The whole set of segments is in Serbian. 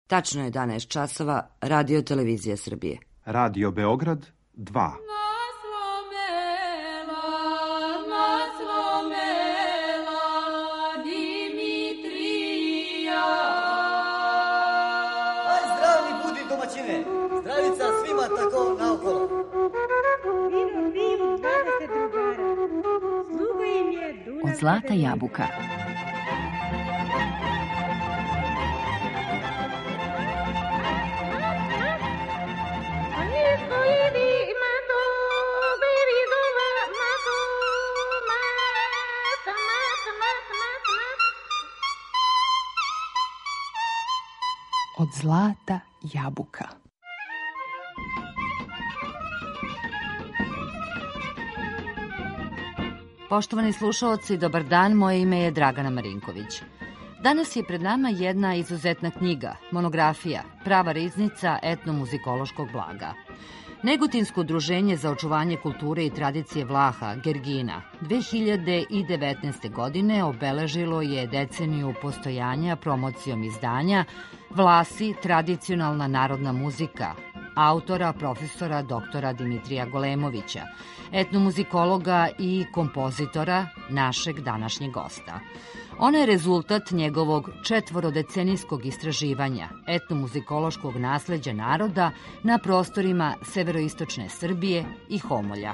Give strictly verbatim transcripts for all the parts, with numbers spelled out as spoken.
Tačno je jedanaest časova, Radio Televizija Srbije. Radio Beograd dva. Zdravica svima tako naokolo. Od zlata jabuka. Od zlata jabuka. Poštovani slušaoci, dobar dan, moje ime je Dragana Marinković. Danas je pred nama jedna izuzetna knjiga, monografija, prava riznica etnomuzikološkog blaga. Negotinsko udruženje za očuvanje kulture i tradicije Vlaha, Gergina, dve hiljade devetnaeste. godine obeležilo je deceniju postojanja promocijom izdanja Vlasi, tradicionalna narodna muzika, autora profesora doktora Dimitrija Golemovića, etnomuzikologa i kompozitora, našeg današnjeg gosta. Ona je rezultat njegovog četvorodecenijskog istraživanja etnomuzikološkog nasleđa naroda na prostorima severoistočne Srbije i Homolja.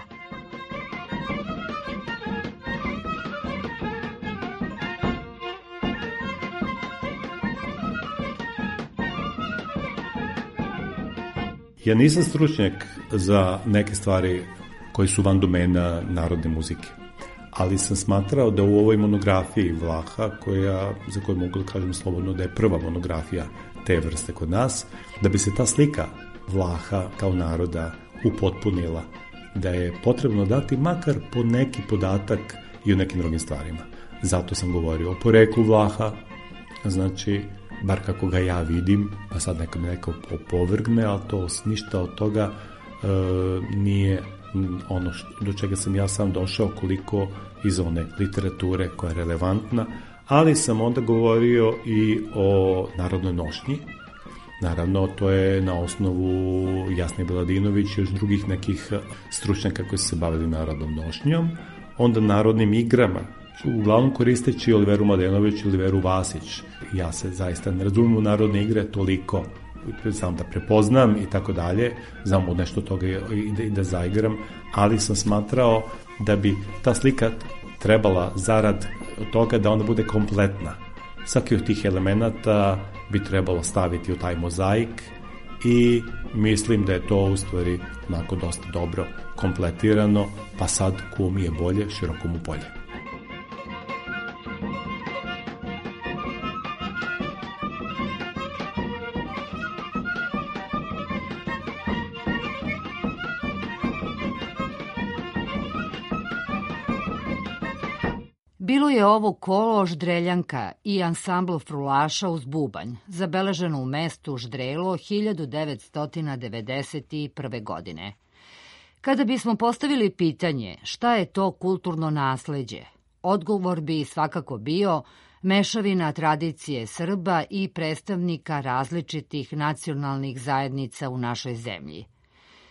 Ja nisam stručnjak za neke stvari koje su van domena narodne muzike, ali sam smatrao da u ovoj monografiji Vlaha, koja, za koju mogu da kažem slobodno da je prva monografija te vrste kod nas, da bi se ta slika Vlaha kao naroda upotpunila, da je potrebno dati makar po neki podatak i o nekim drugim stvarima. Zato sam govorio o poreklu Vlaha, znači, bar kako ga ja vidim, pa sad neka me neko opovrgne, ali to ništa od toga e, nije ono što, do čega sam ja sam došao, koliko iz one literature koja je relevantna, ali sam onda govorio i o narodnoj nošnji. Naravno, to je na osnovu Jasne Beladinović i još drugih nekih stručnjaka koji su se bavili narodnom nošnjom, onda narodnim igrama, uglavnom koristeći Oliveru Mladenović i Oliveru Vasić. Ja se zaista ne razumijem u narodne igre toliko, znam da prepoznam i tako dalje, znam od nešto toga i da, i da zaigram, ali sam smatrao da bi ta slika trebala zarad toga da ona bude kompletna. Svaki od tih elemenata bi trebalo staviti u taj mozaik i mislim da je to u stvari onako dosta dobro kompletirano, pa sad ko mi je bolje, široko mu polje. Bilo je ovo kolo Ždreljanka i ansambl frulaša uz bubanj, zabeleženo u mestu Ždrelo hiljadu devetsto devedeset prve. godine. Kada bismo postavili pitanje šta je to kulturno nasleđe, odgovor bi svakako bio mešavina tradicije Srba i predstavnika različitih nacionalnih zajednica u našoj zemlji.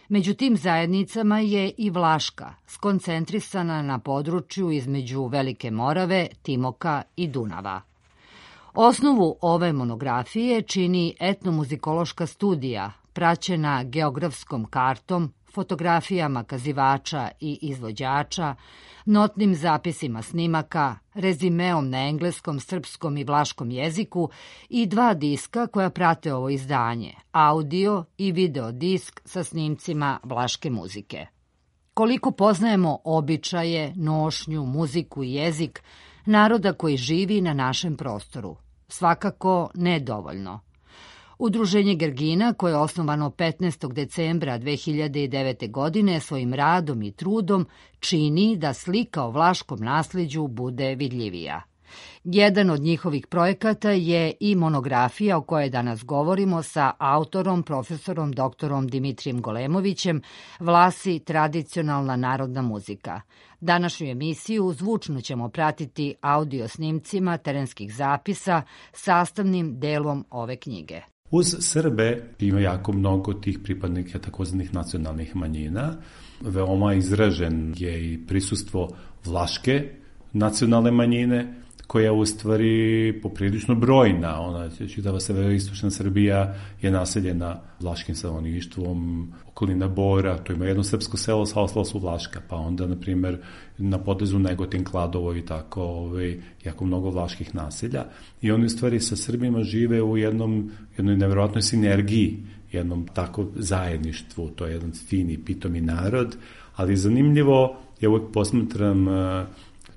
Među tim zajednicama je i Vlaška, skoncentrisana na području između Velike Morave, Timoka i Dunava. Osnovu ove monografije čini etnomuzikološka studija, praćena geografskom kartom, fotografijama kazivača i izvođača, notnim zapisima snimaka, rezimeom na engleskom, srpskom i vlaškom jeziku i dva diska koja prate ovo izdanje, audio i video disk sa snimcima vlaške muzike. Koliko poznajemo običaje, nošnju, muziku i jezik naroda koji živi na našem prostoru? Svakako nedovoljno. Udruženje Gergina, koje je osnovano petnaestog decembra dve hiljade devete. godine, svojim radom i trudom čini da slika o vlaškom nasleđu bude vidljivija. Jedan od njihovih projekata je i monografija o kojoj danas govorimo sa autorom, profesorom doktorom Dimitrijem Golemovićem, Vlasi, tradicionalna narodna muzika. Današnju emisiju zvučno ćemo pratiti audio snimcima terenskih zapisa, sastavnim delom ove knjige. Uz Srbe ima jako mnogo tih pripadnika takozvanih nacionalnih manjina. Veoma izražen je i prisustvo vlaške nacionalne manjine, koja je u stvari poprilično brojna. Ona, čitava severoistočna Srbija je naseljena vlaškim stanovništvom, okolina Bora, to ima jedno srpsko selo, sva su vlaška, pa onda, na primjer, na potezu Negotin, Kladovo i tako, ovaj, jako mnogo vlaških naselja. I oni u stvari sa Srbima žive u jednom, jednoj nevjerojatnoj sinergiji, jednom tako zajedništvu, to je jedan fini, pitomi narod, ali zanimljivo, ja uvek posmatram,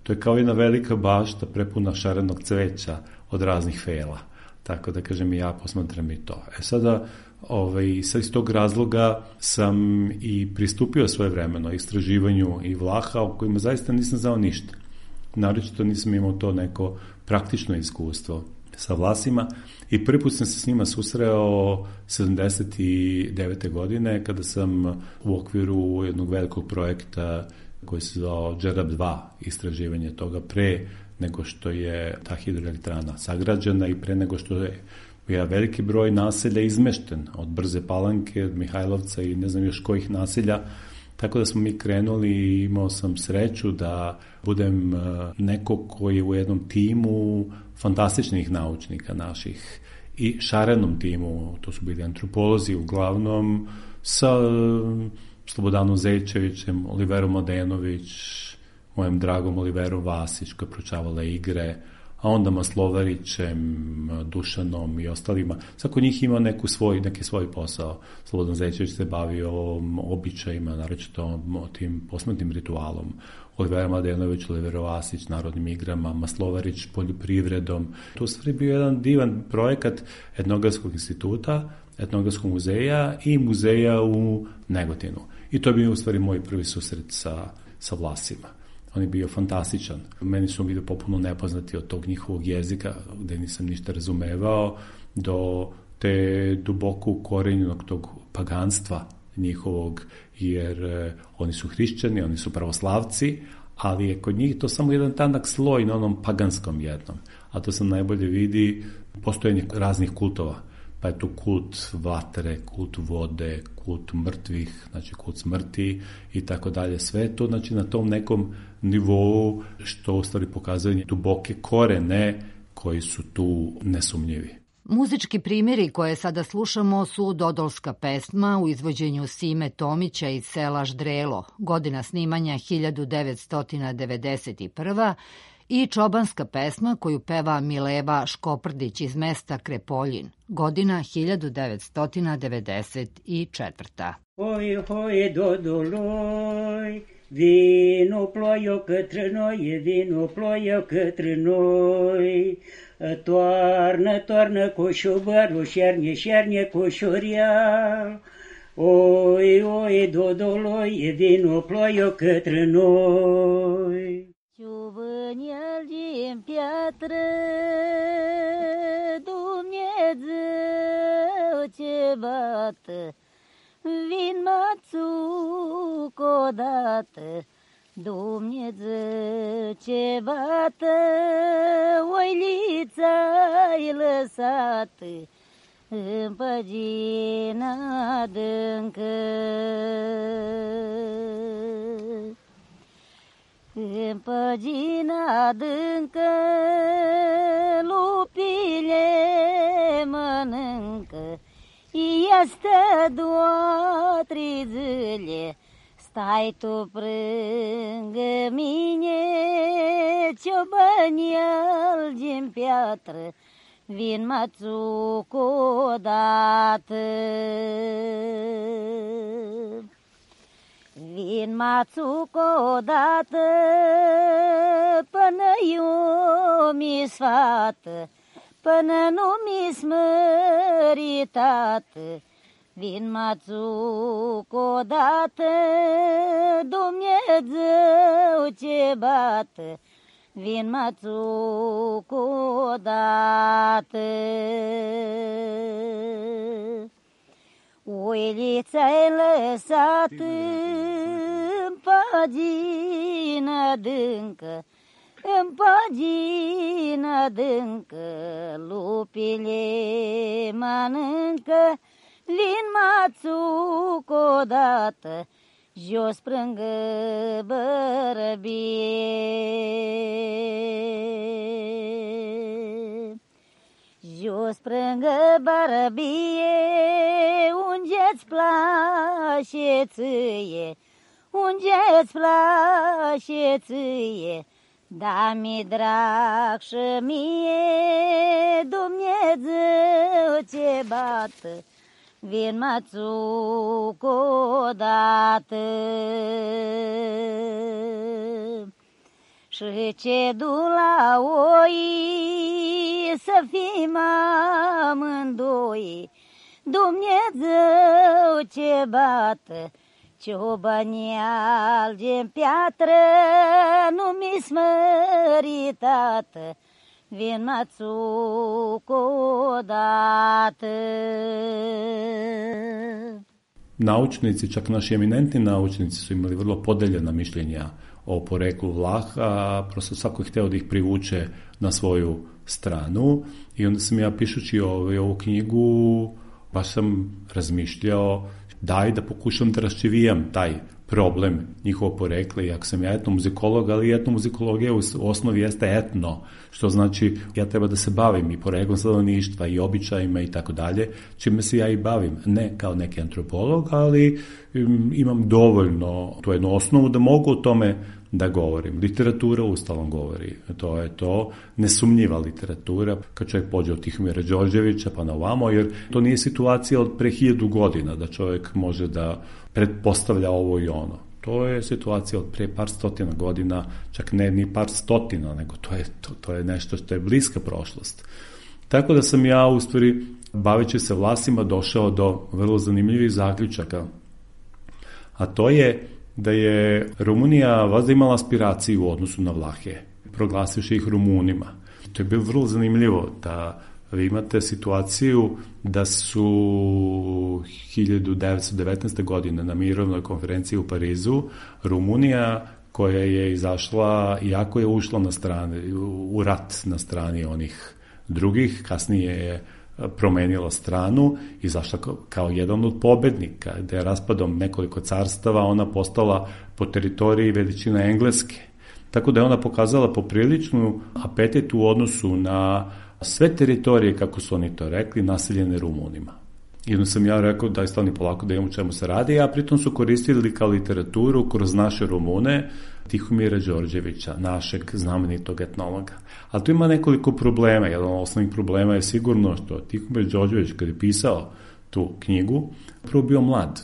to je kao jedna velika bašta prepuna šarenog cveća od raznih fela. Tako da, kažem, i ja posmatram i to. E sada, ovaj, sad iz tog razloga sam i pristupio svoje vremeno istraživanju i Vlaha, o kojima zaista nisam znao ništa. Naročito nisam imao to neko praktično iskustvo sa Vlasima i prvi put sam se s njima susreo sedamdeset devete godine, kada sam u okviru jednog velikog projekta koji se zvao Džerab dva, istraživanje toga pre nego što je ta hidroelektrana sagrađena i pre nego što je jedan veliki broj naselja izmešten od Brze Palanke, od Mihajlovca i ne znam još kojih naselja. Tako da smo mi krenuli i imao sam sreću da budem neko koji je u jednom timu fantastičnih naučnika naših i šarenom timu, to su bili antropolozi uglavnom, sa Slobodanom Zejčevićem, Oliverom Mladenović, mojim dragom Oliverom Vasić koja proučavala igre, a onda Maslovarićem, Dušanom i ostalima. Svako njih ima neku svoj, neki svoj posao. Slobodan Zejčević se bavio običajima, naročito tim posmrtnim ritualom. Olivera Mladenović, Olivero Vasić, narodnim igrama, Maslovarić, poljoprivredom. To u stvari bio jedan divan projekat Etnografskog instituta, Etnografskog muzeja i muzeja u Negotinu. I to je bio u stvari moj prvi susret sa, sa Vlasima. On je bio fantastičan. Meni su bili popuno nepoznati od tog njihovog jezika, gde nisam ništa razumevao, do te duboko ukorenjenog tog paganstva njihovog, jer eh, oni su hrišćani, oni su pravoslavci, ali je kod njih to samo jedan tanak sloj na onom paganskom jednom. A to se najbolje vidi postojanje raznih kultova. Pa je tu kult vatre, kult vode, kult mrtvih, znači kult smrti i tako dalje. Sve to, znači, na tom nekom nivou što u stvari pokazuje duboke korene koji su tu nesumnjivi. Muzički primjeri koje sada slušamo su Dodolska pesma u izvođenju Sime Tomića iz sela Ždrelo, godina snimanja hiljadu devetsto devedeset prva, i čobanska pesma koju peva Mileva Škoprdić iz mesta Krepoljin, godina hiljadu devetsto devedeset četvrta. Oj, hoj, Dodoloj, vino plojo către noi, vino ploio către noi, toarnă, toarnă coșobărul, șerne, șerne coșorial. Oi, oi, Dodoloi, vino ploio către noi. Ciuvâniel din piatră, Dumnezeu ce bată, vin mațuc odată, Dumnezeu ce bată, oilița-i lăsată în păgina adâncă. În păgina adâncă lupile mănâncă, ea stă doar trei zile, stai tu prângă mine, ciobăniel din piatră, vin mațuc odată. Vin mațuc odată până eu mi sfată, până nu mi smăritată. Vin mațuc odată, Dumnezeu ce bată, vin mațuc odată. Oilița-i lăsat în pagina adâncă, în pagina adâncă, lupile mănâncă, vin mațuc odată, jos prângă bărăbie. Jos prângă bărăbie, unde-ți place ție, unde-ți place ție, da-mi drag și mie, Dumnezeu ce bată, vin mațuc odată. Și ce du la oi, să fim amândoi, Dumnezeu ce bată, ciobanii alge-n piatră, nu mi smăritată, vin mațuc odată. Naučnici, čak naši eminentni naučnici su imali vrlo podeljena mišljenja o poreklu Vlaha, prosto svako je hteo da ih privuče na svoju stranu i onda sam ja pišući ovaj, ovu knjigu baš sam razmišljao daj da pokušam da raščivijam taj problem njihovo porekle, iako sam ja etnomuzikolog, ali etnomuzikologija u osnovi jeste etno, što znači ja treba da se bavim i poreklom stanovništva i običajima i tako dalje, čime se ja i bavim, ne kao neki antropolog, ali imam dovoljno tu jednu osnovu da mogu o tome da govorim. Literatura ustalom govori, to je to, nesumnjiva literatura, kad čovjek pođe od Tihomira Đorđevića pa na ovamo, jer to nije situacija od pre hiljadu godina, da čovjek može da pretpostavlja ovo i ono. To je situacija od pre par stotina godina, čak ne ni par stotina, nego to je, to, to je nešto što je bliska prošlost. Tako da sam ja, u stvari, baveći se Vlasima, došao do vrlo zanimljivih zaključaka. A to je da je Rumunija vazda imala aspiraciju u odnosu na Vlahe, proglasivši ih Rumunima. To je bilo vrlo zanimljivo da vi imate situaciju da su hiljadu devetsto devetnaeste. godine na mirovnoj konferenciji u Parizu Rumunija, koja je izašla, iako je ušla na strane, u rat na strani onih drugih, kasnije je promenila stranu, izašla kao jedan od pobednika, gde je raspadom nekoliko carstava ona postala po teritoriji veličine Engleske. Tako da je ona pokazala popriličnu apetit u odnosu na sve teritorije, kako su oni to rekli, naseljene Rumunima. I onda sam ja rekao da je stvarno polako da imam u čemu se radi, a pritom su koristili kao literaturu kroz naše Rumune Tihomira Đorđevića, našeg znamenitog etnologa. Ali tu ima nekoliko problema. Jedan od osnovnih problema je sigurno što Tihomir Đorđević, kad je pisao tu knjigu, prvo bio mlad.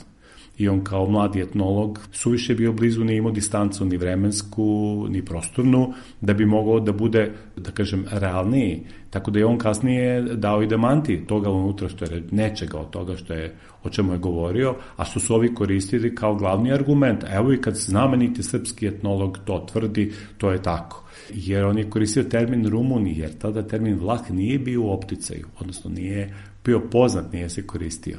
I on kao mladi etnolog suviše bio blizu, nije imao distancu ni vremensku, ni prostornu, da bi mogao da bude, da kažem, realniji. Tako da je on kasnije dao i demanti toga unutra, što je nečega od toga što je, o čemu je govorio, a što su ovi koristili kao glavni argument. Evo i kad znameniti srpski etnolog to tvrdi, to je tako. Jer on je koristio termin Rumuni, jer tada termin Vlah nije bio u opticaju, odnosno nije bio poznat, nije se koristio.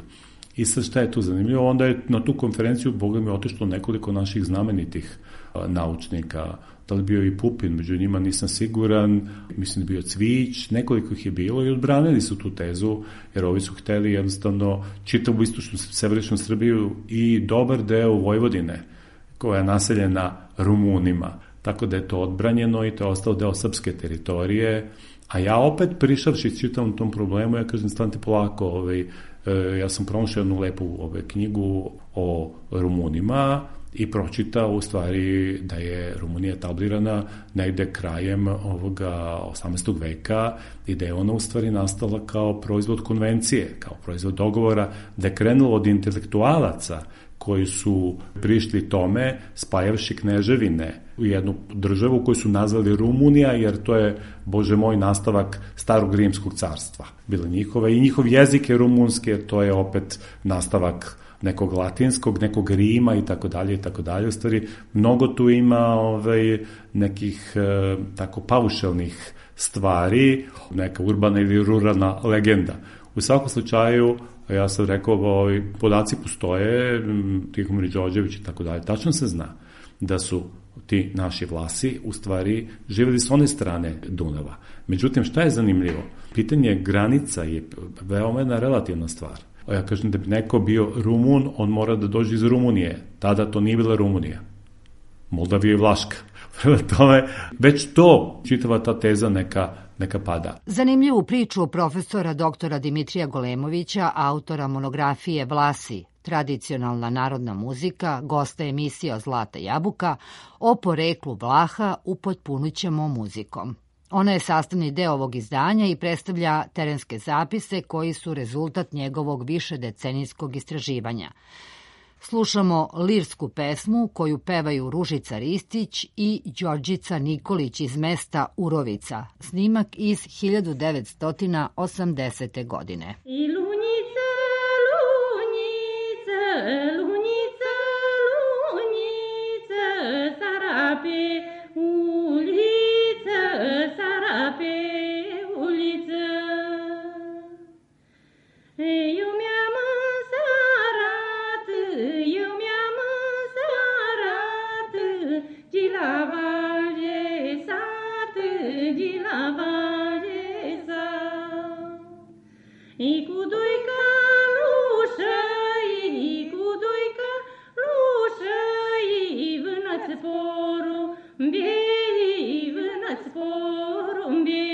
I sad šta je tu zanimljivo, onda je na tu konferenciju, Boga mi, otišlo nekoliko naših znamenitih a, naučnika, da li bio i Pupin, među njima nisam siguran, mislim da bio Cvić, nekoliko ih je bilo i odbranili su tu tezu, jer ovi su hteli jednostavno čitavu istočnu, severičnu Srbiju i dobar deo Vojvodine, koja je naseljena Rumunima. Tako da je to odbranjeno i to je ostao deo srpske teritorije, a ja opet prišavši čitavom tom problemu, ja kažem, stanite polako, ovaj, ja sam pronašao jednu lepu ove, knjigu o Rumunima i pročitao u stvari da je Rumunija tablirana negde krajem ovoga osamnaestog veka i da je ona u stvari nastala kao proizvod konvencije, kao proizvod dogovora, da je krenulo od intelektualaca koji su prišli tome spajavši kneževine u jednu državu koju su nazvali Rumunija, jer to je, Bože moj, nastavak starog rimskog carstva. Bila njihova i njihov jezik je rumunski, jer to je opet nastavak nekog latinskog, nekog Rima i tako dalje i tako dalje. U stvari, mnogo tu ima ovaj, nekih e, tako paušalnih stvari, neka urbana ili ruralna legenda. U svakom slučaju, ja sam rekao, ovaj, podaci postoje, Tihomir Đorđević i tako dalje. Tačno se zna da su ti naši Vlasi u stvari živjeli s one strane Dunava. Međutim, šta je zanimljivo? Pitanje granica je veoma jedna relativna stvar. Ja kažem da bi neko bio Rumun, on mora da dođe iz Rumunije. Tada to nije bila Rumunija. Moldavija i Vlaška. Prema tome, već to, čitava ta teza neka, neka pada. Zanimljivu priču profesora doktora Dimitrija Golemovića, autora monografije Vlasi, tradicionalna narodna muzika, gosta emisija Zlata jabuka, o poreklu Vlaha upotpunit ćemo muzikom. Ona je sastavni deo ovog izdanja i predstavlja terenske zapise koji su rezultat njegovog višedecenijskog istraživanja. Slušamo lirsku pesmu koju pevaju Ružica Ristić i Đorđica Nikolić iz mesta Urovica, snimak iz hiljadu devetsto osamdesete. godine. I lunjice, lunjice, lunjice, lunjice, sarape ulice, sarape ulice. Eu mi-am sarat, eu mi-am sarat, de la valge sat, de la valge sat. I cu doi calușă, i cu doi calușă, i vână-ți porumbie, i vână-ți porumbie.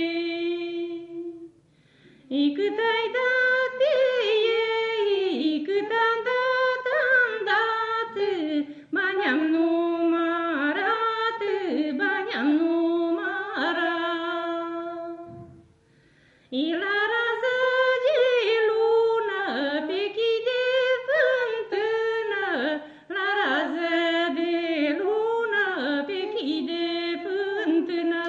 I cât ai dat ei, cât am dat, am dat, bani am numărat, bani am numărat. I la rază de lună, pe chii de fântână, la rază de lună, pe chii de fântână.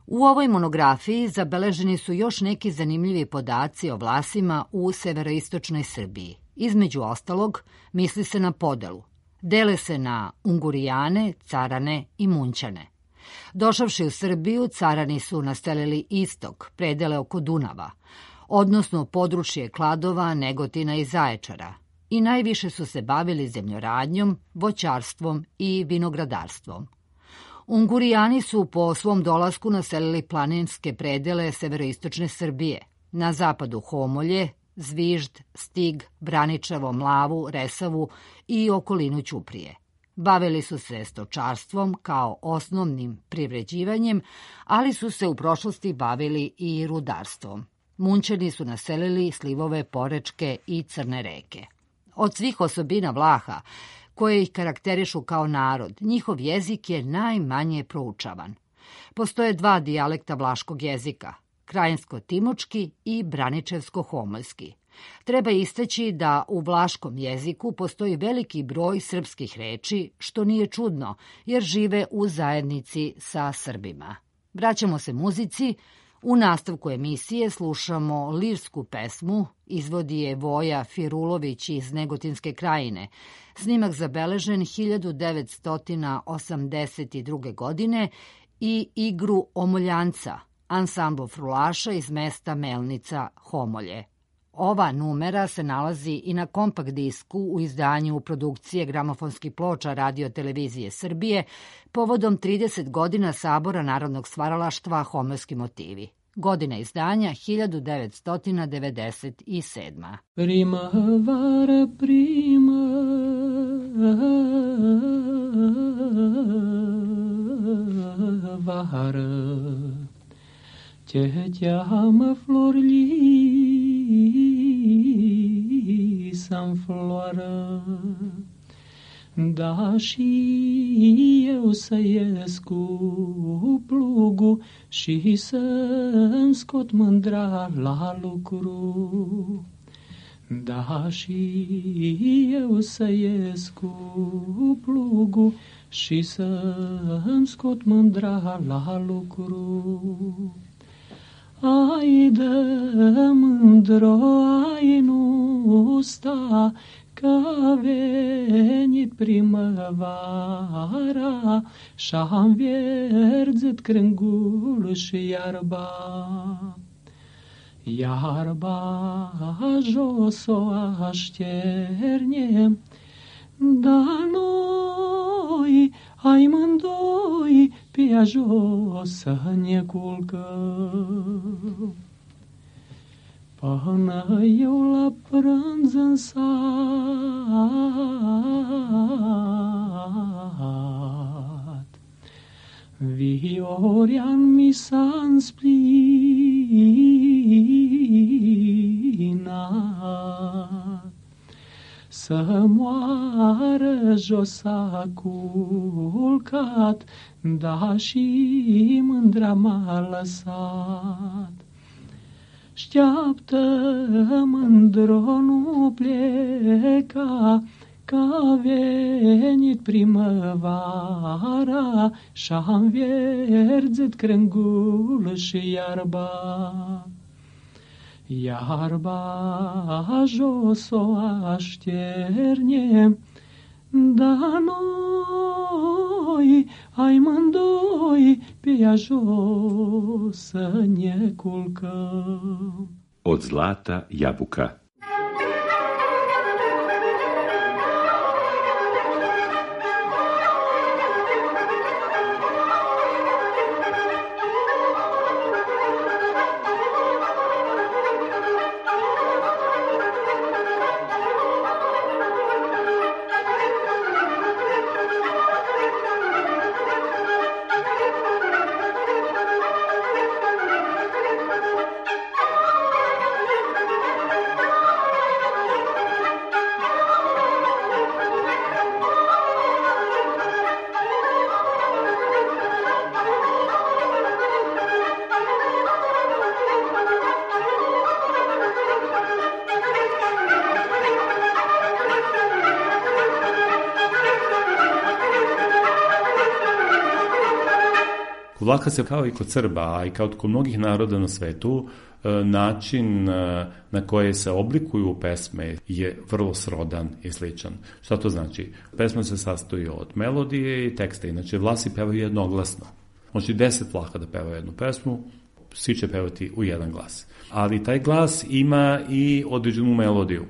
U ovoj monografiji zabeleženi su još neki zanimljivi podaci o Vlasima u severoistočnoj Srbiji. Između ostalog, misli se na podelu. Dele se na Ungurijane, Carane i Munćane. Došavši u Srbiju, Carani su naselili istok, predele oko Dunava, odnosno područje Kladova, Negotina i Zaječara, i najviše su se bavili zemljoradnjom, voćarstvom i vinogradarstvom. Ungurijani su po svom dolasku naselili planinske predele severoistočne Srbije, na zapadu Homolje, Zvižd, Stig, Braničevo, Mlavu, Resavu i okolinu Ćuprije. Bavili su se stočarstvom kao osnovnim privređivanjem, ali su se u prošlosti bavili i rudarstvom. Munćani su naselili slivove Porečke i Crne reke. Od svih osobina Vlaha, koje ih karakterišu kao narod, njihov jezik je najmanje proučavan. Postoje dva dijalekta vlaškog jezika, krajinsko-timočki i braničevsko-homoljski. Treba istaći da u vlaškom jeziku postoji veliki broj srpskih reči, što nije čudno, jer žive u zajednici sa Srbima. Vraćamo se muzici. U nastavku emisije slušamo lirsku pesmu, izvodi je Voja Firulović iz Negotinske krajine. Snimak zabeležen hiljadu devetsto osamdeset druge. godine i igru Omoljanca, ansambl frulaša iz mesta Melnica Homolje. Ova numera se nalazi i na kompakt disku u izdanju produkcije gramofonskih ploča Radio televizije Srbije povodom trideset godina Sabora narodnog stvaralaštva Homoljski motivi. Godina izdanja hiljadu devetsto devedeset sedma. Primavara, primavara, te chiama Florli sam floară, da și eu să ies cu plugul și să-mi scot mândra la lucru. Da și eu să ies cu plugul și să-mi scot mândra la lucru. Ai de mândro, ai nu sta, că-a venit primăvara și-am vierzit crângul și iarba. Iarba jos o așternem, dar mândoi, ai mândoi, pe jos să ne culcăm. Până eu la prânz în sat, Viorean mi s-a însplinat. Să moară jos a culcat, da și mândra m-a lăsat. Șteaptă, mândro, nu pleca, că-a venit primăvara și-am verzit crângul și iarba. Iarba jos o așternem, dar noi, ai mândoi, pe ea jos să ne culcăm. Od zlata jabuka. Vlaha se kao i kod Srba, a i kao kod mnogih naroda na svetu, način na koji se oblikuju pesme je vrlo srodan i sličan. Šta to znači? Pesma se sastoji od melodije i teksta, inače Vlasi pevaju jednoglasno. Može deset Vlaha da pevaju jednu pesmu, svi će pevati u jedan glas. Ali taj glas ima i određenu melodiju,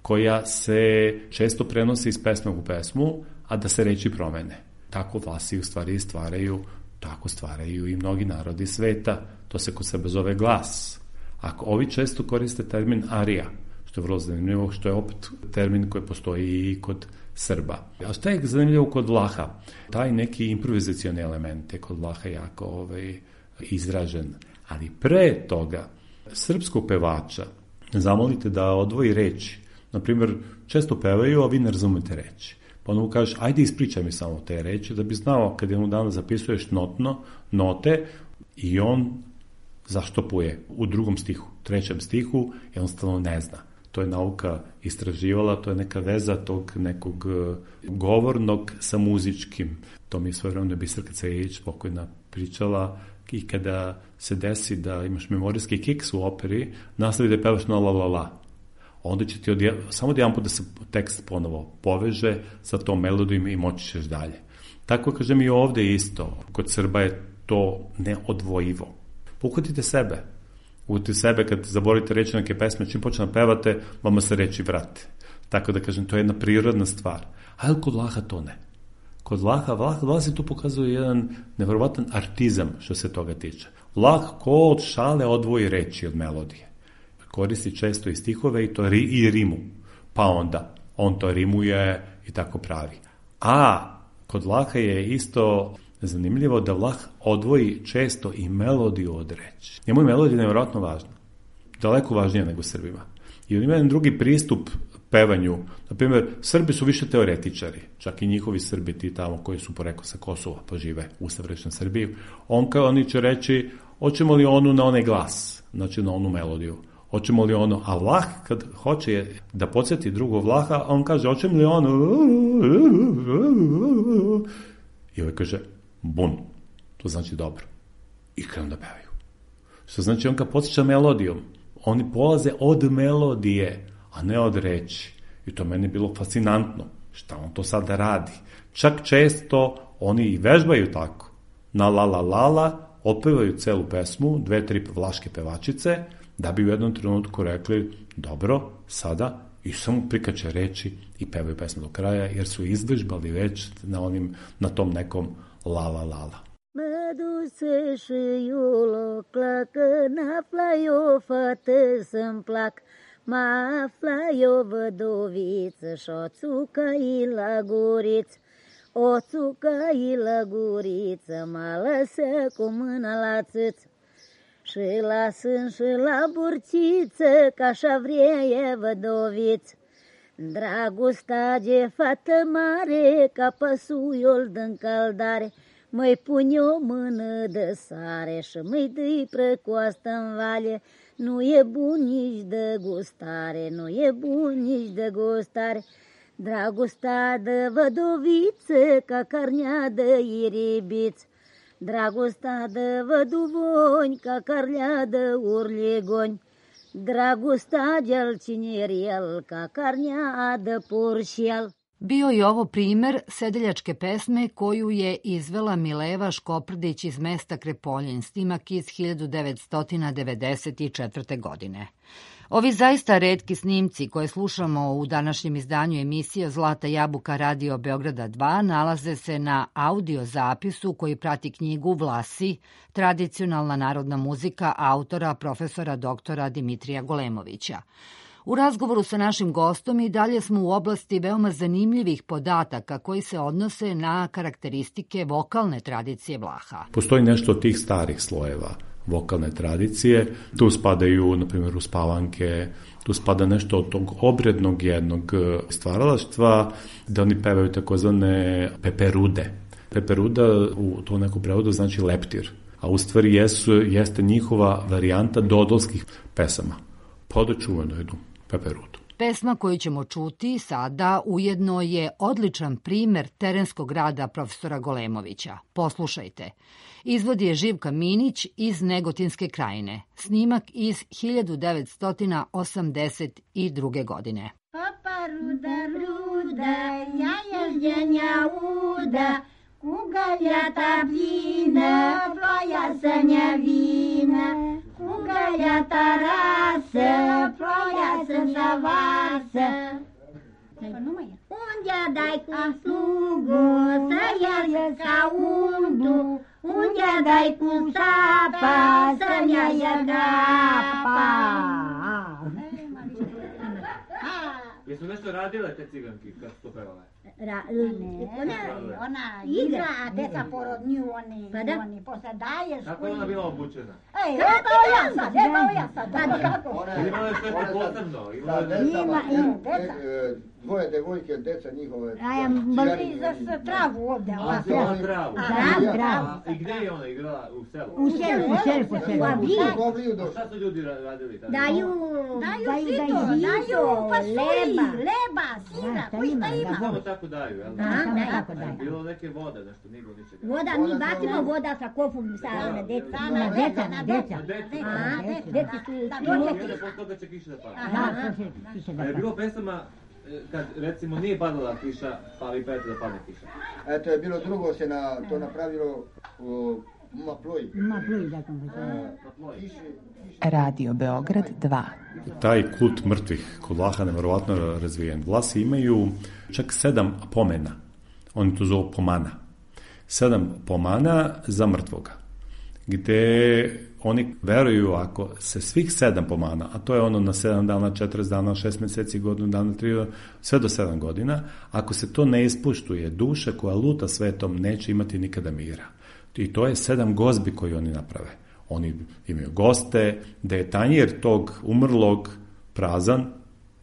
koja se često prenosi iz pesme u pesmu, a da se reči promene. Tako Vlasi u stvari stvaraju Tako stvaraju i mnogi narodi sveta. To se kod sebe zove glas. Ako ovi često koriste termin arija, što je vrlo zanimljivo, što je opet termin koji postoji i kod Srba. A što je zanimljivo kod Vlaha? Taj neki improvizacioni element je kod Vlaha jako ovaj, izražen. Ali pre toga, srpskog pevača zamolite da odvoji reči. Naprimjer, često pevaju, a vi ne razumete reči. Pa onda mu kažeš, ajde ispričaj mi samo te reči, da bi znao kad jednog dana zapisuješ notno, note i on zaštopuje u drugom stihu, trećem stihu, jednostavno ne zna. To je nauka istraživala, to je neka veza tog nekog govornog sa muzičkim. To mi je svojevremeno Biserka Cerić pokojna pričala i kada se desi da imaš memorijski kiks u operi, nastavi da pevaš na la la la. Onda će ti odje, samo jedan put da se tekst ponovo poveže sa tom melodijom i moći ćeš dalje. Tako kažem i ovde isto, kod Srba je to neodvojivo. Uhvatite sebe. Uhvatite sebe kad zaborite reći neke pesme, čim počne da pevate, vama se reči vrate. Tako da kažem, to je jedna prirodna stvar. Ali kod Vlaha to ne. Kod Vlaha, Vlah, Vlah se tu pokazuje jedan nevjerovatan artizam što se toga tiče. Vlah ko od šale odvoji reči od melodije. Koristi često i stihove i to ri, i rimu. Pa onda, on to rimuje i tako pravi. A kod Vlaha je isto zanimljivo da Vlah odvoji često i melodiju od reči. Njemu je melodija nevjerojatno važna. Daleko važnija nego Srbima. I on ima jedan drugi pristup pevanju. Naprimjer, Srbi su više teoretičari. Čak i njihovi Srbi, ti tamo koji su poreklo sa Kosova, pa žive u savršenoj Srbiji. On kao oni će reći, hoćemo li onu na onaj glas, znači na onu melodiju. Hoćemo li ono, a Vlah kad hoće da podsjeti drugog Vlaha, on kaže, hoćemo li ono, i ovaj kaže, bun, to znači dobro. I krenu da pevaju. Što znači, on kad podsjeća melodijom, oni polaze od melodije, a ne od reči. I to meni je bilo fascinantno. Šta on to sada radi? Čak često oni i vežbaju tako. Na la la la la, otpevaju celu pesmu, dve, tri vlaške pevačice, da bi u jednom trenutku rekli, dobro, sada i samo prikače reči i pevaju pesmu do kraja, jer su izvežbali već na, onim, na tom nekom la la la la. Mă duse și eu la clacă, n-afla eu fată să-mi plac, mă afla eu vădoviță și-o țucă-i la guriță, o țucă-i la guriță, mă lăsă cu mâna la țâță. Și la sân și la burțiță, că așa vrea e vădoviță. Dragostea de fată mare, ca păsuiul din caldare, măi pune o mână de sare și măi dă-i prăcoastă în vale. Nu e bun nici de gustare, nu e bun nici de gustare. Dragostea de vădoviță, ca carnea de iribiță. Dragostea de văduvoni, ca carnea de urligoni. Dragostea de-al cineriel, ka karnja de poršjel. Bio je ovo primer sedeljačke pesme koju je izvela Mileva Škoprdić iz mesta Krepoljin, snimak iz hiljadu devetsto devedeset četvrte. godine. Ovi zaista retki snimci koje slušamo u današnjem izdanju emisije Zlata jabuka Radio Beograda dva nalaze se na audio zapisu koji prati knjigu Vlasi, tradicionalna narodna muzika autora profesora doktora Dimitrija Golemovića. U razgovoru sa našim gostom i dalje smo u oblasti veoma zanimljivih podataka koji se odnose na karakteristike vokalne tradicije Vlaha. Postoji nešto od tih starih slojeva vokalne tradicije, tu spadaju, na primjer, uspavanke, tu spada nešto od tog obrednog jednog stvaralaštva, da oni pevaju takozvane peperude. Peperuda u to neku prevodu znači leptir, a u stvari jesu, jeste njihova varijanta dodolskih pesama. Pa da čuveno jednu peperudu. Pesma koju ćemo čuti sada ujedno je odličan primer terenskog rada profesora Golemovića. Poslušajte. Izvod je Živka Minić iz Negotinske krajine. Snimak iz hiljadu devetsto osamdeset druge. godine. Papa ruda, ruda, jaja ždenja uda, kugaljata plina, ploja sanja vina, kugaljata rasa, ploja sanja vasa. Undja daj ku slugu, sajar ka undu, undja daj ku sapa, sanja jagapa. Jesu nešto radile te ciganki kad su to pevale? Ra, ne, ona, ona igra, a deca porodnju, oni, pa da? Oni posle daje Kako je ona bila obučena? Ej, evo ja sad, evo ja sad, da, kako? Ili imala je sve posebno? Sa decama, ima, deca. Dvoje devojke, deca njihove. A ja mali za travu ovde. A, se ona travu. A, travu. I gde je ona igrala? U selu? U selu, u selu, po selu. A šta su ljudi radili tada? Daju, daju sito, daju pasulji, leba, sira, koji šta ima? Samo tako daju, jel? Da, da, tako daju. Bilo neke vode, nešto, nigo ničega. Voda, mi bacimo voda sa kofom, sa na deca. Na deca, na deca. A, deca su... I posle toga će kiša da pada. Da, kiša da pada. A je bilo pesama kad recimo nije padala kiša, pa vi pevete da padne kiša? Eto je bilo drugo se na to napravilo u Maploj. Maploj, da sam Radio Beograd dva. Taj kult mrtvih kod Vlaha nevjerovatno razvijen. Vlasi imaju čak sedam pomena. Oni to zovu pomana. Sedam pomana za mrtvoga. Gde oni veruju ako se svih sedam pomana, a to je ono na sedam dana, četrdeset dana, šest meseci, godinu dana, tri, sve do sedam godina, ako se to ne ispuštuje, duša koja luta svetom neće imati nikada mira. I to je sedam gozbi koji oni naprave. Oni imaju goste, da je tanjir tog umrlog prazan,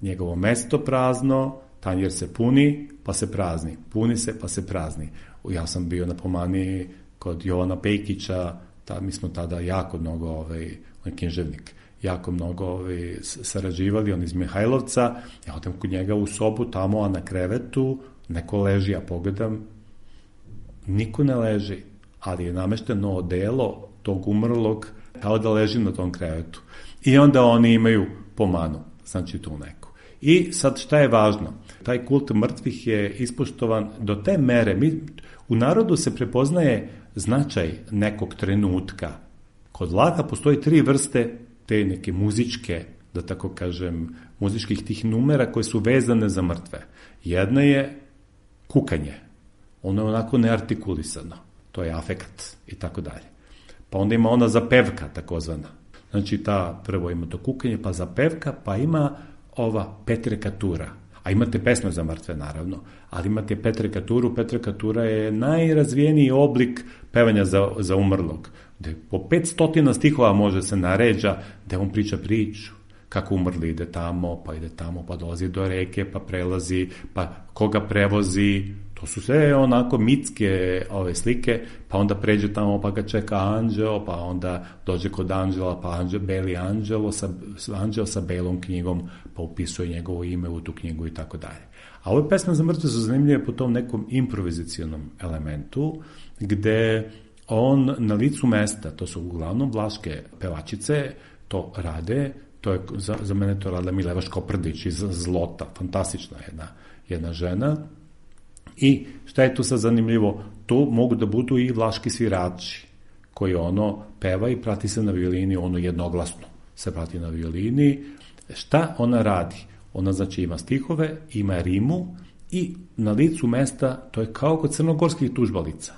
njegovo mesto prazno, tanjir se puni, pa se prazni. Puni se, pa se prazni. Ja sam bio na pomani kod Jovana Pejkića, ta, mi smo tada jako mnogo, ovaj, on je književnik, jako mnogo ovaj, sarađivali, on iz Mihajlovca, ja odem kod njega u sobu, tamo, a na krevetu, neko leži, ja pogledam, niko ne leži, ali je namešteno odelo tog umrlog, kao da leži na tom krevetu. I onda oni imaju pomanu, znači tu neku. I sad šta je važno? Taj kult mrtvih je ispoštovan do te mere, mi, u narodu se prepoznaje značaj nekog trenutka. Kod Vlaha postoji tri vrste te neke muzičke da tako kažem, muzičkih tih numera koje su vezane za mrtve. Jedna je kukanje. Ono je onako neartikulisano. To je afekat i tako dalje. Pa onda ima ona zapevka, takozvana. Znači, ta prvo ima to kukanje, pa zapevka, pa ima ova petrekatura. A imate pesme za mrtve, naravno, ali imate petrekaturu. Petrekatura je najrazvijeniji oblik pevanja za, za umrlog, gde po petstotina stihova može se naređa, gde on priča priču, kako umrli ide tamo, pa ide tamo, pa dolazi do reke, pa prelazi, pa koga prevozi. To su sve onako mitske ove slike, pa onda pređe tamo, pa ga čeka anđeo, pa onda dođe kod anđela, pa anđel, beli anđelo sa, anđel sa belom knjigom, pa upisuje njegovo ime u tu knjigu i tako dalje. A ove pesme za mrtve su zanimljive po tom nekom improvizacionom elementu, gde on na licu mesta, to su uglavnom vlaške pevačice, to rade, to je, za, za mene to radila Mileva Škoprdić iz Zlota, fantastična jedna, jedna žena. I šta je tu sad zanimljivo? Tu mogu da budu i vlaški svirači, koji ono peva i prati se na violini, ono jednoglasno se prati na violini. Šta ona radi? Ona znači ima stihove, ima rimu i na licu mesta, to je kao kod crnogorskih tužbalica.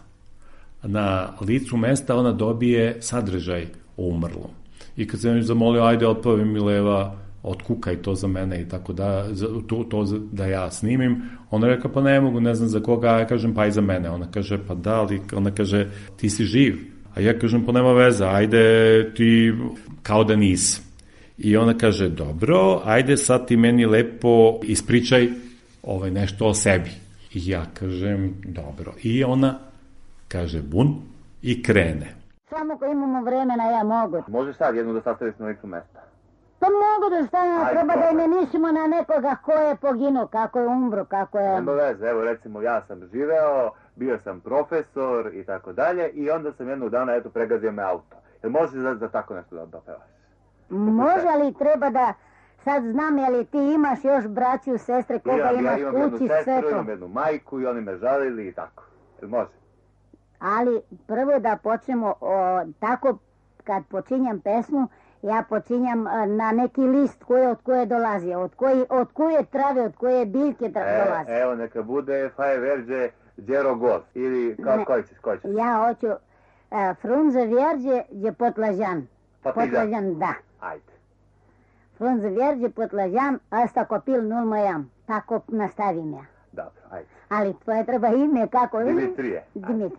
Na licu mesta ona dobije sadržaj o umrlom. I kad sam joj zamolio, ajde otpavi Mileva, otkukaj to za mene i tako da, to, to da ja snimim, ona reka, pa ne mogu, ne znam za koga, ja kažem, pa i za mene. Ona kaže, pa da, ali ona kaže, ti si živ. A ja kažem, pa nema veze, ajde ti kao da nisi. I ona kaže, dobro, ajde sad ti meni lepo ispričaj ovaj, nešto o sebi. I ja kažem, dobro. I ona kaže, bun, i krene. Samo ko imamo vremena, ja mogu. Može sad jednu da sastaviš na licu mesta? Pa mogu da stavimo, treba da imenishimo na nekoga ko je poginuo, kako je umro, kako je... Nema veze, evo recimo ja sam živeo, bio sam profesor i tako dalje i onda sam jednog dana, eto, pregazio me auto. Jel može za, za tako nešto da, da pevaš? Može, ali treba da... Sad znam, je li ti imaš još braću, sestre, koga imam, imaš ja imam kući, jednu sve sestru, to? imam jednu majku i oni me žalili i tako. Jel može? Ali prvo da počnemo, o, tako kad počinjam pesmu, ja počinjam na neki list koji od koje dolazi, od koje, od koje trave, od koje biljke tra, dolazi. E, evo neka bude Faje Verđe Đero Gos ili kao koji ćeš, koji ćeš? Ja hoću uh, Frunze Verđe je Potlažan. Potlažan, da. Ajde. Frunze Verđe Potlažan, asta kopil nul mojam. Tako nastavim ja. Dobro, ajde. Ali tvoje treba ime kako? Dimitrije. Dimitri.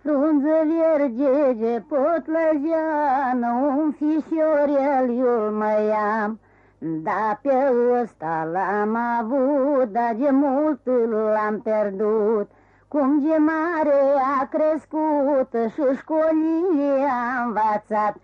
Frunze Verđe Potlažan, un fișiorel iul măiam, da pe ăsta l-am avut, dar de mult l-am pierdut. Cum de mare a crescut și școlile a învățat,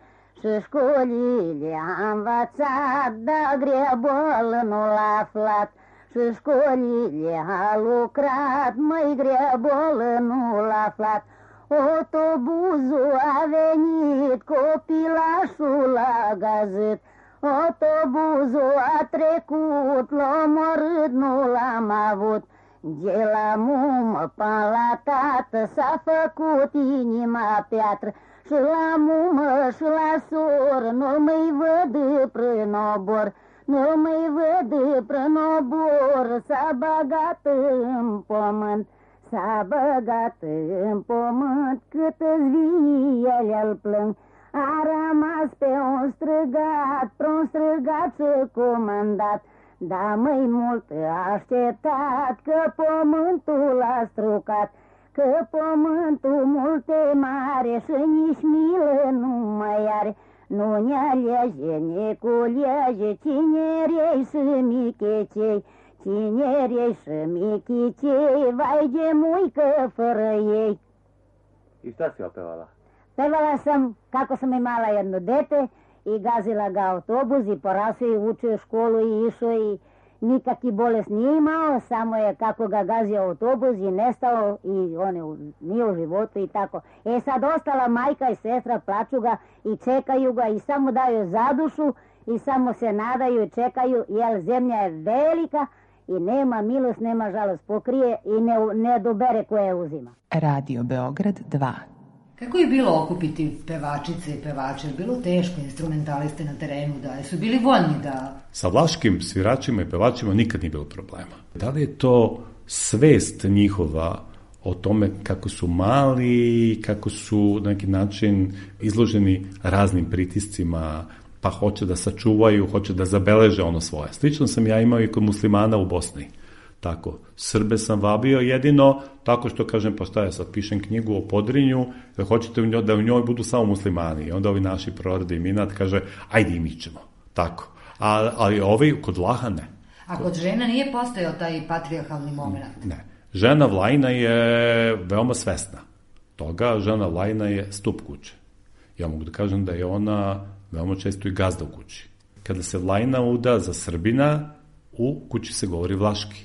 și școlile a învățat, dar grebăl nu l-a aflat. Și școlile a lucrat, măi grebăl nu l-a aflat. Autobuzul a venit, copilașul a gazit. Autobuzul a trecut, l-a omorât, nu l-am avut. De la mumă până la tată s-a făcut inima piatră. Și la mumă și la soră nu mai văd prin obor. Nu mai văd prin obor, s-a băgat în pământ. S-a băgat în pământ, cât-ți vie el plâng. A rămas pe un străgat, pe un străgat și comandat. Da, mai mult a așteptat, că pământul a strucat. Că pământul mult e mare și nici milă nu mai are. Nu ne alege, ne culege, cinerei și michecei. Cinerei și michicei, vai de muică fără ei. I šta si opevala? Pevala sam kako sam imala jedno dete i gazila ga autobus i porasao i učio školu i išao i nikakvi bolest nije imao, samo je kako ga gazio autobus i nestao i on je, nije u životu i tako. E sad ostala majka i sestra, plaču ga i čekaju ga i samo daju zadušu i samo se nadaju i čekaju, jer zemlja je velika i nema milost, nema žalost, pokrije i ne, ne dobere koje uzima. Radio Beograd dva. Kako je bilo okupiti pevačice i pevače? Je bilo teško, instrumentaliste na terenu, da su bili voljni da... Sa vlaškim sviračima i pevačima nikad nije bilo problema. Da li je to svest njihova o tome kako su mali, kako su na neki način izloženi raznim pritiscima, pa hoće da sačuvaju, hoće da zabeleže ono svoje. Slično sam ja imao i kod muslimana u Bosni. Tako, Srbe sam vabio jedino tako što kažem, pa šta ja sad pišem knjigu o Podrinju, da hoćete da u njoj budu samo muslimani. I onda ovi naši prorade i minat kaže, ajde i mi ćemo. Tako. A, ali ovi kod Vlaha ne. A kod žena nije postojao taj patrijarhalni moment? Ne. Žena Vlajna je veoma svesna toga. Žena Vlajna je stup kuće. Ja mogu da kažem da je ona veoma često i gazda u kući. Kada se Vlajna uda za Srbina, u kući se govori vlaški.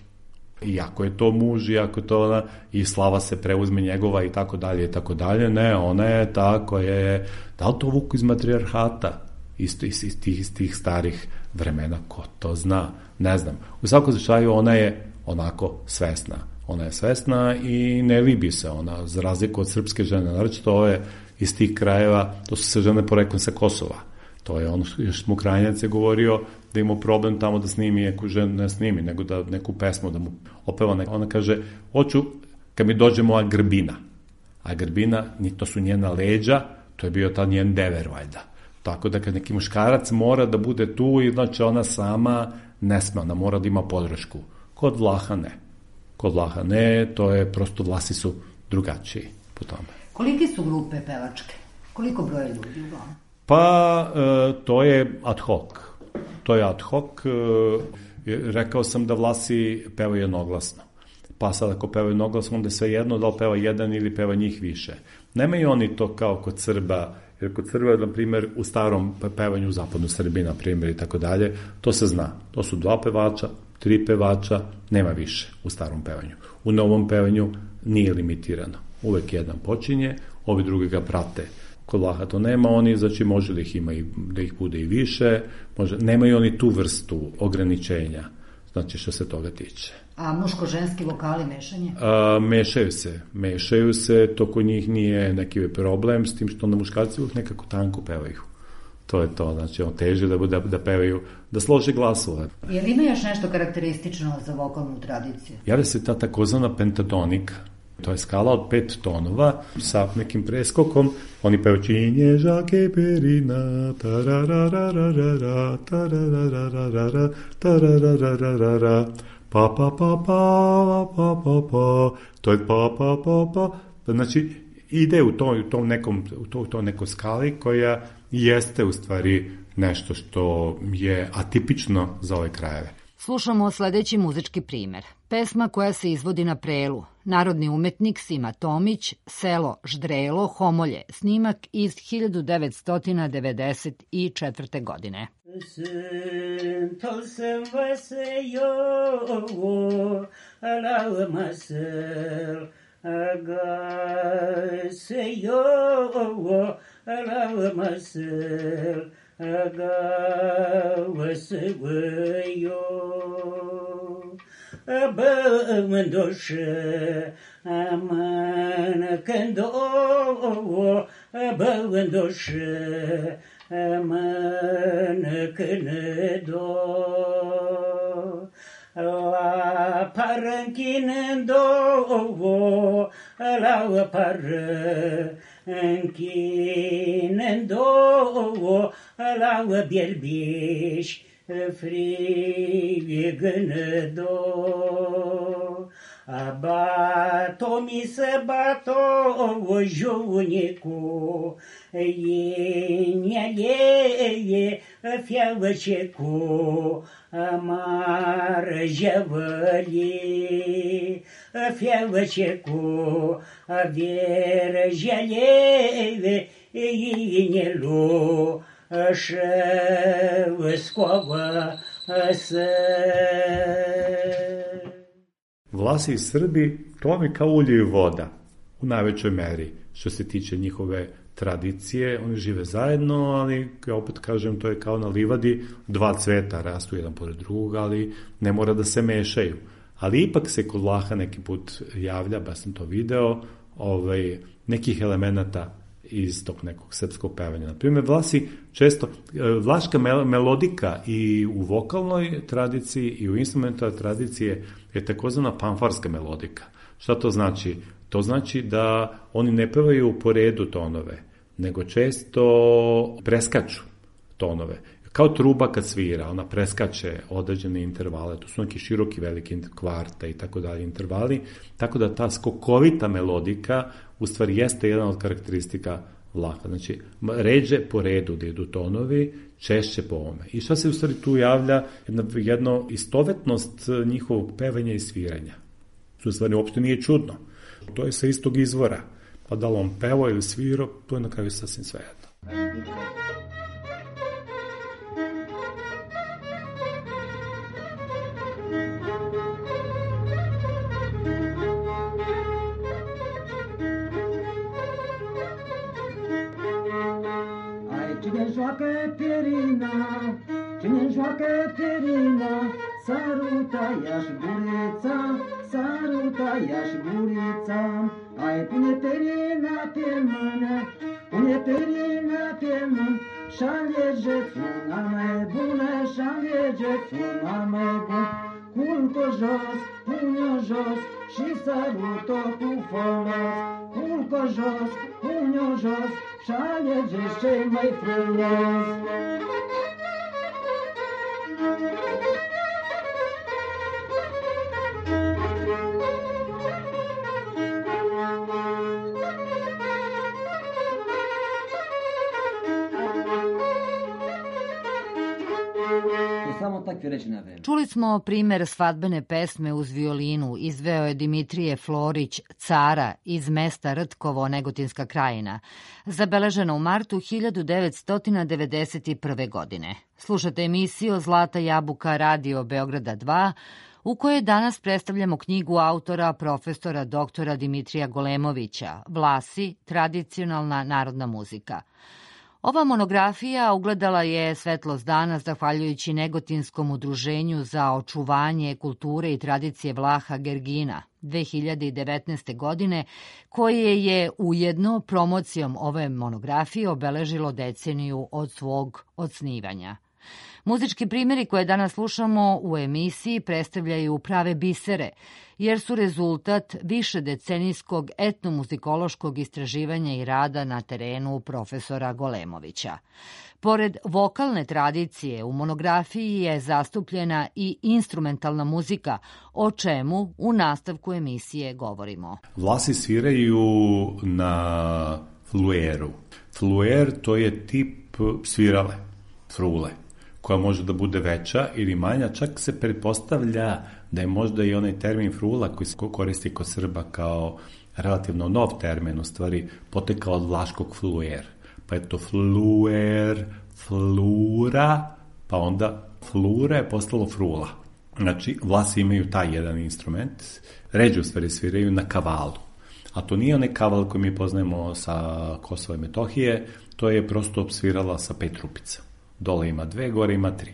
I ako je to muž, i ako je to ona, i slava se preuzme njegova i tako dalje i tako dalje, ne, ona je ta koja je, da li to vuku iz matrijarhata, isto iz, iz, tih, iz tih starih vremena, ko to zna, ne znam. U svakom slučaju ona je onako svesna. Ona je svesna i ne libi se ona, za razliku od srpske žene, znači to je iz tih krajeva, to su se žene poreklom sa Kosova. To je ono što još Smokrajnjac je govorio da ima problem tamo da snimi, ako žena ne snimi, nego da neku pesmu da mu opeva. Ona kaže, hoću kad mi dođe moja grbina. A grbina, to su njena leđa, to je bio ta njen dever, valjda. Tako da kad neki muškarac mora da bude tu, i znači ona sama ne sme, ona mora da ima podršku. Kod Vlaha ne. Kod Vlaha ne, to je prosto Vlasi su drugačiji po tome. Koliki su grupe pevačke? Koliko broje ljudi uglavnom? Pa, e, to je ad hoc. To je ad hoc. E, rekao sam da Vlasi pevaju jednoglasno. Pa sad ako pevaju jednoglasno, onda je sve jedno da li peva jedan ili peva njih više. Nemaju oni to kao kod Srba, jer kod Srba, na primjer, u starom pevanju, u zapadnu Srbiji, na primjer, i tako dalje, to se zna. To su dva pevača, tri pevača, nema više u starom pevanju. U novom pevanju nije limitirano. Uvek jedan počinje, ovi drugi ga prate. Kod Vlaha to nema, oni, znači može da ih ima i, da ih bude i više, može, nemaju oni tu vrstu ograničenja, znači što se toga tiče. A muško-ženski vokali mešanje? A, mešaju se, mešaju se, to kod njih nije neki problem, s tim što na muškarci uvijek nekako tanko pevaju. To je to, znači on teže da, da, da pevaju, da slože glasove. Je li ima još nešto karakteristično za vokalnu tradiciju? Javlja se ta takozvana pentatonika. To je skala od pet tonova sa nekim preskokom. Oni pevaju činje žake perina, tararararara, tararararara, tararararara, pa pa pa pa pa pa pa, to je pa pa pa pa. Znači ide u tom, u tom nekom, u tom, u tom nekoj skali koja jeste u stvari nešto što je atipično za ove krajeve. Slušamo sledeći muzički primer. Pesma koja se izvodi na prelu. Narodni umetnik Sima Tomić, selo Ždrelo, Homolje. Snimak iz hiljadu devetsto devedeset četvrte. godine. Sento sam vas jo, ala masel, aga se jo, ala masel, aga se jo. Băvândoșă, amană când o, băvândoșă, amană când do. La parânchinind o, la parânchinind o, la bierbiș, frigă do. Bato mi se bato o junicu, inia je fiavăcecu, amar javăli, fiavăcecu, avier jale, inelu, ševskova se. Vlasi i Srbi, to vam je kao ulje i voda, u najvećoj meri, što se tiče njihove tradicije. Oni žive zajedno, ali, ja opet kažem, to je kao na livadi, dva cveta rastu jedan pored drugog, ali ne mora da se mešaju. Ali ipak se kod Vlaha neki put javlja, ba sam to video, ovaj, nekih elemenata iz tog nekog srpskog pevanja. Naprimjer, Vlasi često, vlaška melodika i u vokalnoj tradiciji i u instrumentalnoj tradiciji je takozvana panfarska melodika. Šta to znači? To znači da oni ne pevaju po redu tonove, nego često preskaču tonove. Kao truba kad svira, ona preskače određene intervale, to su neki široki, veliki kvarta i tako dalje intervali, tako da ta skokovita melodika u stvari jeste jedan od karakteristika Vlaha. Znači, ređe po redu da idu tonovi, češće po ovome. I šta se u stvari tu javlja? Jedna, jedno istovetnost njihovog pevanja i sviranja. To u stvari uopšte nije čudno. To je sa istog izvora. Pa da li on pevao ili svirao, to je na kraju sasvim svejedno. Cine joacă pierina, cine joacă pierina, saruta ia-și gurița, saruta ia-și gurița. Ai pune pierina pe mână, pune pierina pe mână, și-alegeți una mai bună, și-alegeți una mai bună. Culcă jos, pune-o jos și sărut-o cu folos. Culcă jos, pune-o jos și-alegeți cel mai frumos. Čuli smo primer svadbene pesme uz violinu, izveo je Dimitrije Florić, Cara, iz mesta Rtkovo, Negotinska krajina, zabeležena u martu hiljadu devetsto devedeset prve. godine. Slušate emisiju Zlata jabuka Radio Beograda dva, u kojoj danas predstavljamo knjigu autora profesora doktora Dimitrija Golemovića, Vlasi, tradicionalna narodna muzika. Ova monografija ugledala je svetlost dana zahvaljujući Negotinskom udruženju za očuvanje kulture i tradicije Vlaha Gergina dve hiljade devetnaeste. godine, koje je ujedno promocijom ove monografije obeležilo deceniju od svog osnivanja. Muzički primjeri koje danas slušamo u emisiji predstavljaju prave bisere, jer su rezultat višedecenijskog etnomuzikološkog istraživanja i rada na terenu profesora Golemovića. Pored vokalne tradicije, u monografiji je zastupljena i instrumentalna muzika, o čemu u nastavku emisije govorimo. Vlasi sviraju na flueru. Fluer to je tip svirale, frule, koja može da bude veća ili manja, čak se pretpostavlja da je možda i onaj termin frula koji se koristi kod Srba kao relativno nov termin, u stvari potekao od vlaškog fluer. Pa je to fluer, flura, pa onda flura je postalo frula. Znači, Vlasi imaju taj jedan instrument, ređe u stvari sviraju na kavalu. A to nije onaj kaval koji mi poznajemo sa Kosova i Metohije, to je prosto svirala sa pet rupica. Dole ima dve, gore ima tri.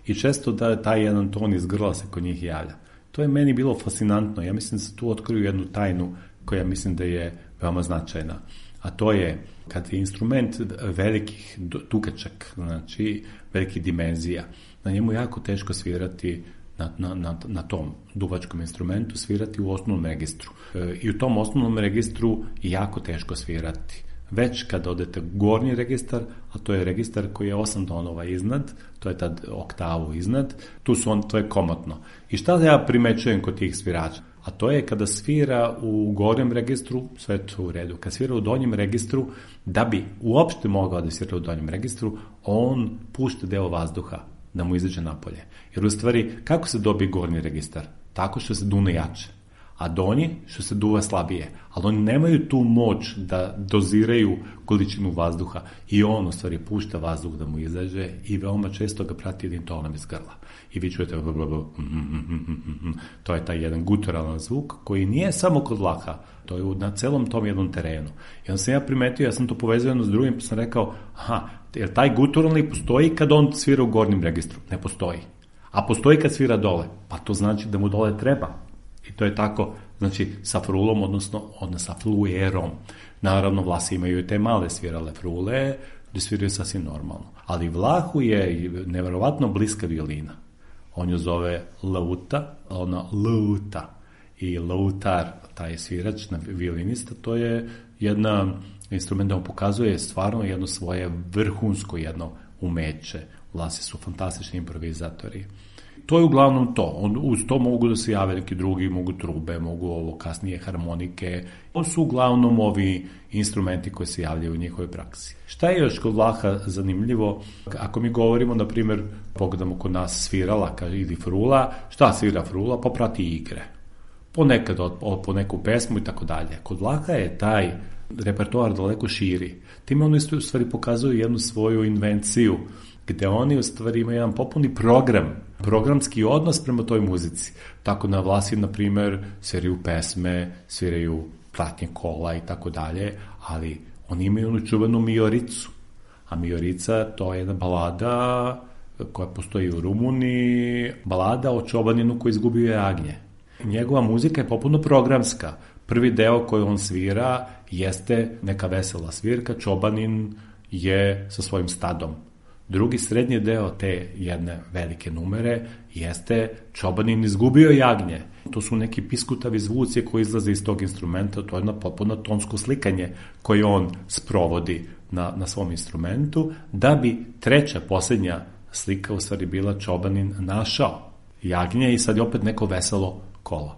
I često da taj jedan ton iz grla se kod njih javlja. To je meni bilo fascinantno. Ja mislim da se tu otkriju jednu tajnu koja mislim da je veoma značajna. A to je kad je instrument velikih tukačak, znači velikih dimenzija, na njemu jako teško svirati na, na, na, na tom duvačkom instrumentu, svirati u osnovnom registru. E, I u tom osnovnom registru je jako teško svirati. Već kad odete u gornji registar, a to je registar koji je osam tonova iznad, to je tad oktavu iznad, tu su on, to je komotno. I šta ja primećujem kod tih svirača? A to je kada svira u gornjem registru, sve to u redu. Kad svira u donjem registru, da bi uopšte mogao da svira u donjem registru, on pušta deo vazduha da mu izađe napolje. Jer u stvari, kako se dobije gornji registar? Tako što se dune jače. A donji što se duva slabije. Ali oni nemaju tu moć da doziraju količinu vazduha i on u stvari pušta vazduh da mu izađe i veoma često ga prati jednim tonom iz grla. I vi čujete to je taj jedan guturalan zvuk koji nije samo kod Vlaha, to je na celom tom jednom terenu. I onda sam ja primetio, ja sam to povezao jedno s drugim, pa sam rekao, aha, jer taj guturalni postoji kad on svira u gornjem registru? Ne postoji. A postoji kad svira dole? Pa to znači da mu dole treba. I to je tako, znači, sa frulom, odnosno, odnosno sa fluerom. Naravno, Vlasi imaju i te male svirale frule, gde sviraju sasvim normalno. Ali Vlahu je neverovatno bliska violina. On ju zove lauta, ona lauta. I lautar, taj svirač na violinista, to je jedna instrument da on pokazuje stvarno jedno svoje vrhunsko jedno umeće. Vlasi su fantastični improvizatori. To je uglavnom to. On, uz to mogu da se jave neki drugi, mogu trube, mogu ovo kasnije harmonike. To su uglavnom ovi instrumenti koji se javljaju u njihovoj praksi. Šta je još kod Vlaha zanimljivo? Ako mi govorimo, na primjer, pogledamo kod nas svirala, kaže, ili frula, šta svira frula? Pa prati igre. Ponekad po neku pesmu i tako dalje. Kod Vlaha je taj repertoar daleko širi. Time oni u stvari pokazuju jednu svoju invenciju, gde oni u stvari imaju jedan popuni program, programski odnos prema toj muzici. Tako na Vlasi, na primjer, sviraju pesme, sviraju pratnje kola i tako dalje, ali oni imaju onu čuvenu Mioricu. A Miorica, to je jedna balada koja postoji u Rumuniji, balada o čobaninu koji izgubio jagnje. Njegova muzika je popuno programska. Prvi deo koji on svira jeste neka vesela svirka, čobanin je sa svojim stadom. Drugi srednji deo te jedne velike numere jeste čobanin izgubio jagnje. To su neki piskutavi zvuci koji izlaze iz tog instrumenta, to je jedno potpuno tonsko slikanje koje on sprovodi na, na svom instrumentu, da bi treća, posljednja slika u stvari bila čobanin našao jagnje i sad je opet neko veselo kolo.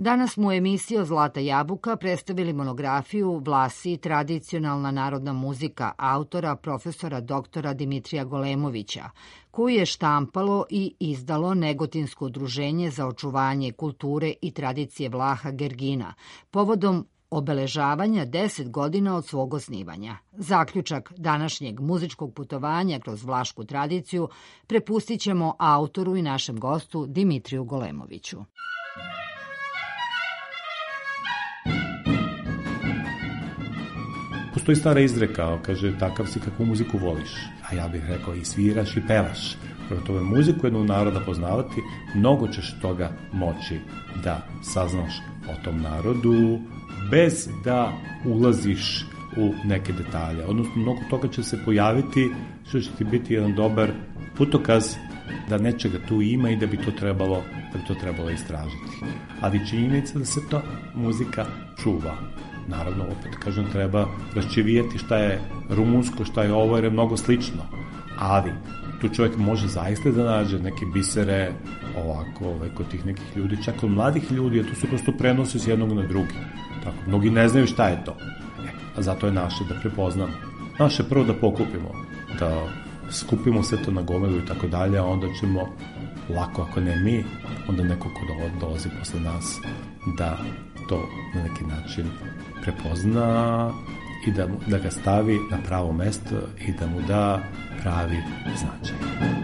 Danas smo u emisiji Zlata jabuka predstavili monografiju Vlasi, tradicionalna narodna muzika autora profesora doktora Dimitrija Golemovića, koju je štampalo i izdalo Negotinsko udruženje za očuvanje kulture i tradicije Vlaha Gergina, povodom obeležavanja deset godina od svog osnivanja. Zaključak današnjeg muzičkog putovanja kroz vlašku tradiciju prepustit ćemo autoru i našem gostu Dimitriju Golemoviću. Postoji stara izreka, kaže, takav si kakvu muziku voliš, a ja bih rekao i sviraš i pevaš. Prvo tome muziku jednog naroda poznavati, mnogo ćeš toga moći da saznaš o tom narodu, bez da ulaziš u neke detalje. Odnosno, mnogo toga će se pojaviti, što će ti biti jedan dobar putokaz da nečega tu ima i da bi to trebalo, da bi to trebalo istražiti. Ali činjenica da se to muzika čuva. Naravno, opet kažem, treba raščivijeti šta je rumunsko, šta je ovo, jer je mnogo slično. Ali tu čovjek može zaista da nađe neke bisere ovako, ovaj, kod tih nekih ljudi, čak kod mladih ljudi, a to se prosto prenosi s jednog na drugi. Tako, mnogi ne znaju šta je to. E, a zato je naše da prepoznamo. Naše prvo da pokupimo, da skupimo sve to na gomilu i tako dalje, a onda ćemo lako, ako ne mi, onda neko ko dolazi posle nas, da to na neki način prepozna i da, mu, da ga stavi na pravo mesto i da mu da pravi značaj.